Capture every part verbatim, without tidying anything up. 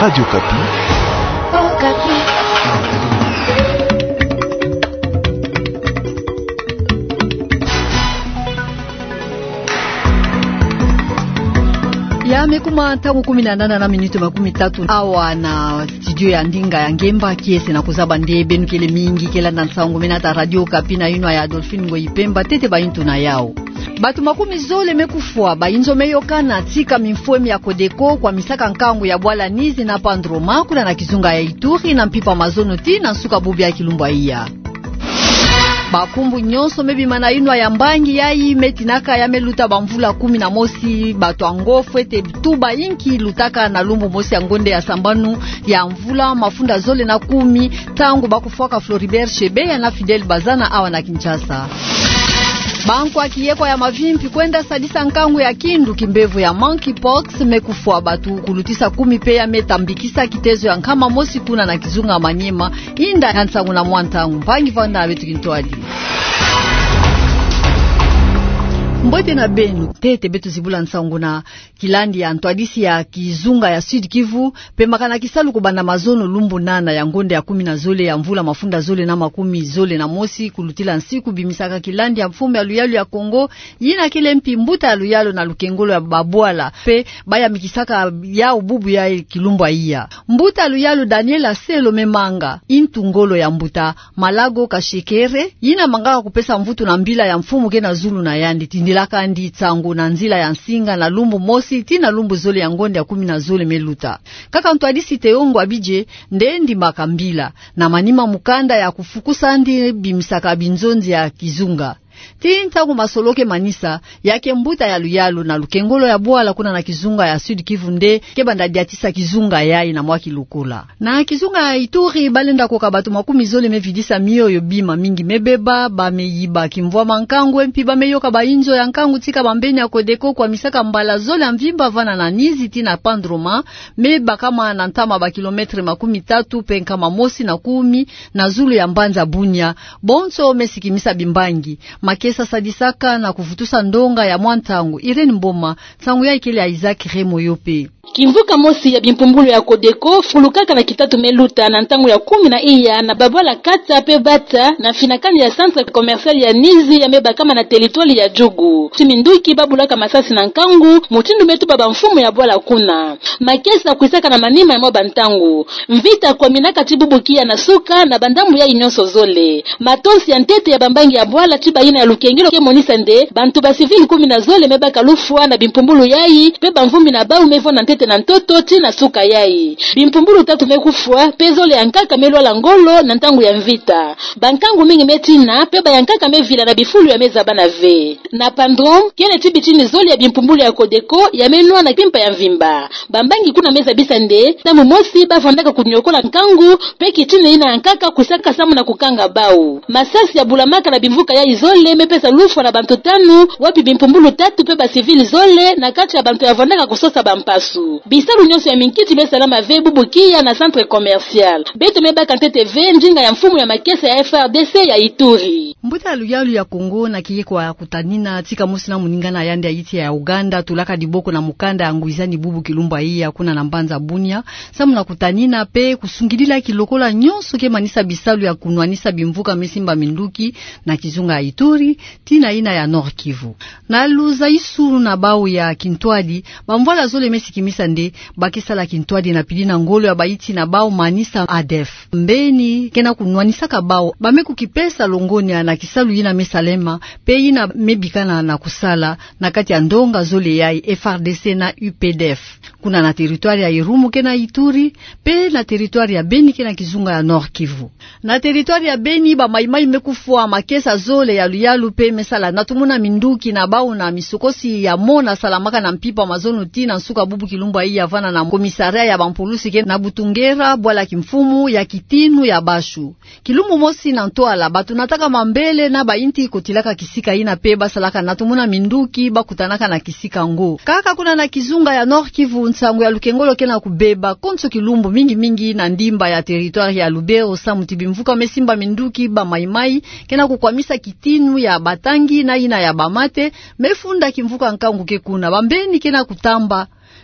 Radio Okapi. Ya me kuma ntangu kumi na nana na miniti makumi tatu awa na studio ya ndinga ya ngemba. Kiese na kuzaba nde beno kele mingi ke landa nsangu mena ta Radio Okapi na yinwa ya Adolphine Ngoyi Pemba. Ntete bayintu na yawu. Bato makumi zole me kufwa, bayinzo me yokana, tika mimfwemi ya Codeco kwamisaka nkangu ya bwala Nizi na Pandroma, kuna na kizunga ya Ituri, na mpimpa mazono tii na nsuka bubu ya kilumbu ya iya. Bakumbu nyonso me bima na yinwa ya mbangi yayi me tinaka ya me luta bamvula kumi na mosi, bato yango fwete tuba inki lutaka na lumbu mosi ya ngonde ya sambanu ya mvula mafunda zole na kumi, ntangu bakufwaka Floribert Chebeya na Fidèle Bazana awa na Kinshasa. Bankwa kiyekwa ya mavimpi kwenda sadisa nkangu ya kindu, kimbevo ya monkeypox, me kufwa bato kulutisa kumi pe ya me tambikisa kitezo ya nkama mosi kuna na kizunga Maniema. Inda ya nsangu na mwa ntangu, mpangi vanda na beto kintwadi. Mbote na beno, ntete beto zibula nsangu na kilandi ya ntwadisi ya kizunga ya Sud-Kivu, pe makana kisalu kubanda mazono lumbu nana ya ngonde ya kumi na zole ya mvula mafunda zole na makumi zole na mosi, kulutila nsiku bimisaka kilandi ya mfumu ya luyalu ya Kongo, yina kele mpi mbuta ya luyalu na lukengolo ya babwala, pe bayamikisaka yawu bubu ya kilumbu ya iya. Mbuta ya luyalu Daniel Aselo me manga intu ngolo ya mbuta Malago Kashekere, yina mangaka kupesa mvutu na mbila ya mfumu ke na zulu na yandi, tindilaka yandi nsangu na nzila ya nsinga na lumbu mosi tii na lumbu zole ya ngonde ya kumi na zole me luta. Kaka ntwadisi Teongo Abidje nde ndimbaka mbila, na manima mukanda ya kufukusa yandi bimisaka binzonzi ya kizunga. Tii ntangu masolo ke manisa, ya ke mbuta ya luyalu na lukengolo ya bwala kuna na kizunga ya Sud-Kivu nde ke banda diatisa kizunga yayi na mwa kilokola. Na kizunga ya Ituri, balenda koka bato makumi zole me vidisa mioyo, bima mingi me beba, ba me yiba kimvwama nkangu, e mpi ba me yoka bayinzo ya nkangu tika bambeni ya Codeco kwamisaka mbala zole ya mvimba vana na Nizi tii na Pandroma, me bakama na ntama ba kilomètre makumi tatu pe nkama mosi na kumi na zulu ya mbanza Bunia. Bonso me sikimisa bimbangi. Makesa sadisaka na kuvutusa ndonga ya mwa ntangu. Irène Mboma, nsangu yayi kele ya Isaac Remoyope. Kimvuka mosi ya bimpumbulu ya Codeco fulukaka na kitatu me luta na ntangu ya kumi na iya na babwala Kata pe Bata na finakani ya centre commercial ya Nizi ya me bakama na territoire ya Djugu. Ti minduki babulaka masasi na nkangu, mutindu me tuba bamfumu ya bwala kuna. Makesa kwisaka na manima ya mwa bantangu. Mvita kwaminaka ti bubu kiya na suka na bandambu yayi nyonso zole. Matonsi ya ntete ya bambangi ya bwala ti bayina ya lukengelo ke monisa nde bantu ba civil kumi na zole me baka lufwa na bimpumbulu yayi, pe bamvumbi na bawu me vwanda ntete na ntoto ti na suka yayi. Bimpumbulu tatu me kufwa, pe zole ya nkaka me lwala ngolo na ntangu ya mvita. Bankangu mingi me tina, pe ba ya nkaka me vila na bifulu ya me zabana ve. Na Pandrome, kele ti bitini zole ya bimpumbulu ya Codeco ya me nwana mpimpa ya mvimba. Bambangi kuna me zabisa nde, ntangu mosi bavwandaka kuniokola nkangu, pe kitini yina ya nkaka kwisaka samu na kukanga bawu. Masasi ya bulamaka na bimvuka yayi zole me pesa lufwa na bantu tanu, wapi bimpumbulu tatu pe ba civil zole na kati ya bantu ya vwandaka kusosa bampasu. Bisalu nyonso ya minkiti me salama ve bubu kiya na centre commercial. Beto me baka ntete ve ndinga ya mfumu ya makesa ya F R D C ya Ituri. Mbuta ya luyalu ya Congo na kiye kwa kutanina, tika mosi na moningana ya yandi ya yiti ya Uganda, tulaka diboko na mukanda ya ngwizani bubu kilumbu yayi kuna na mbanza Bunia, samu na kutanina pe kusungidila kilokola nyonso ke manisa bisalu ya kunwanisa bimvuka me simba minduki na kizunga ya Ituri, tii na yina ya Nord-Kivu. Na luzayisu na bawu ya kintwadi, bamvwala zole me sikimisa nde ba ke sala kintwadi na pili na ngolo ya bayiti na bawu manisa ADF. Mbeni ke na kunwanisaka bawu, ba me kukipesa longonya na kisalu yina me salema, pe yina me bikana na kusala na kati ya ndonga zole yayi, F R D C na U P D F. Kuna na territoire ya Irumu ke na Ituri, pe na territoire ya Beni ke na kizunga ya Nord-Kivu. Na territoire ya Beni, ba mayi-mayi me kufwa, makesa zole ya luyalu pe me sala na tumuna minduki na bawu na misokosi ya mona salamaka na mpimpa mazono tii na nsuka bubu kilumbu yayi vana na commissariat ya bampulusi ke na Butungera, bwala kimfumu ya Kitinu ya Bashu. Kilumbu mosi na ntwala, bato nataka mambele na bayinti kotilaka kisika yina pe ba salaka na tumuna minduki ba kutanaka na kisika ngo. Kaka kuna na kizunga ya Nord-Kivu, nsangu ya lukengolo ke na kubeba konso kilumbu, mingi-mingi na ndimba ya territoire ya Lubero, samu ti bimvuka me simba minduki, ba mayi-mayi ke na kukwamisa Kitinu ya Batangi na yina ya Bamate, me funda kimvuka nkangu ke kuna. Bambeni ke na kutamba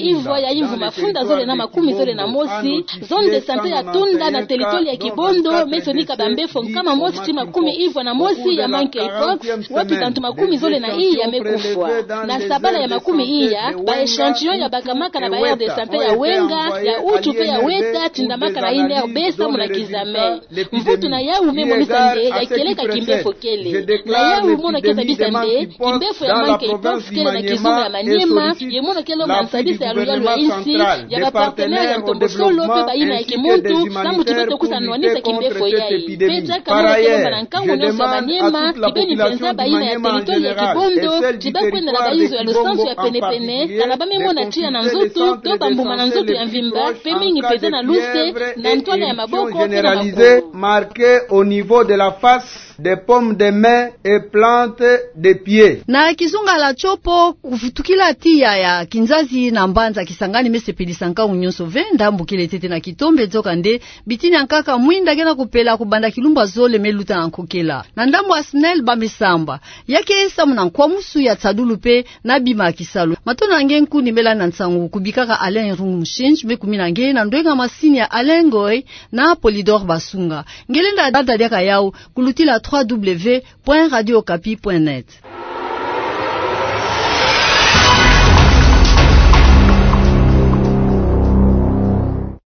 ivwa ya mvu mafunda zole na makumi zole na mosi, zone de santé ya Tunda na territoire ya Kibondo me sonika bambefo nkama mosi ti makumi ivwa na mosi ya monkeypox, wapi bantu makumi zole na iya me kufwa. Na sabala ya makumi iya, ba échantillon ya bakamaka na ba aire de santé ya Wenga, ya Utu pe ya Weta tindamaka na INRB samu na kizame. Mvutu na yawu me monisa nde ya kieleka kimbefo kele. Na yawu mono ke zabisa nde kimbefo ya monkeypox kele na kizunga ya Maniema, ye mono ke longa nsadisa ya luyalu ya insi, ya ba partenaire ya ntombosolo pe bayina ya kimuntu, samu ti beto kusa nwanisa kimbefo yayi. Pe diaka mono ke longa na nkangu nionso ya Maniema, kibeni mpenza bayina ya territoire ya Kibondo, ti bakwenda na bayinzo ya lusansu ya penepene, kana ba me mona tiya na nzoto, to bambuma na nzoto ya mvimba, pe mingi mpenza na luse, na ntwala ya maboko, pe na Marqué au niveau de la face, des paumes de main et plante de pied. Na kizungala tiopo kuvutukila tiya ya kinzazi na mbanza Kisangani mesepelisa nkangu nyonso ve, ndambu kele tete na kitombe. Nzokande bitini ya nkaka mwinda ke na kupela kubanda kilumbu ya zole me luta na nkokela. Na ndambu ya SNEL ba me samba. Ya ke samu na nkwamusu ya tsadulu pe na bima ya kisalu. Matondo na nge nkuni me landa nsangu kubikaka Alain Irungu Mushinji, me kumina nge na ndwenga masini ya Alain Ngoy na Polydor Basunga. Nge lenda dada diaka yawu kulutila trois W point radio okapi point net.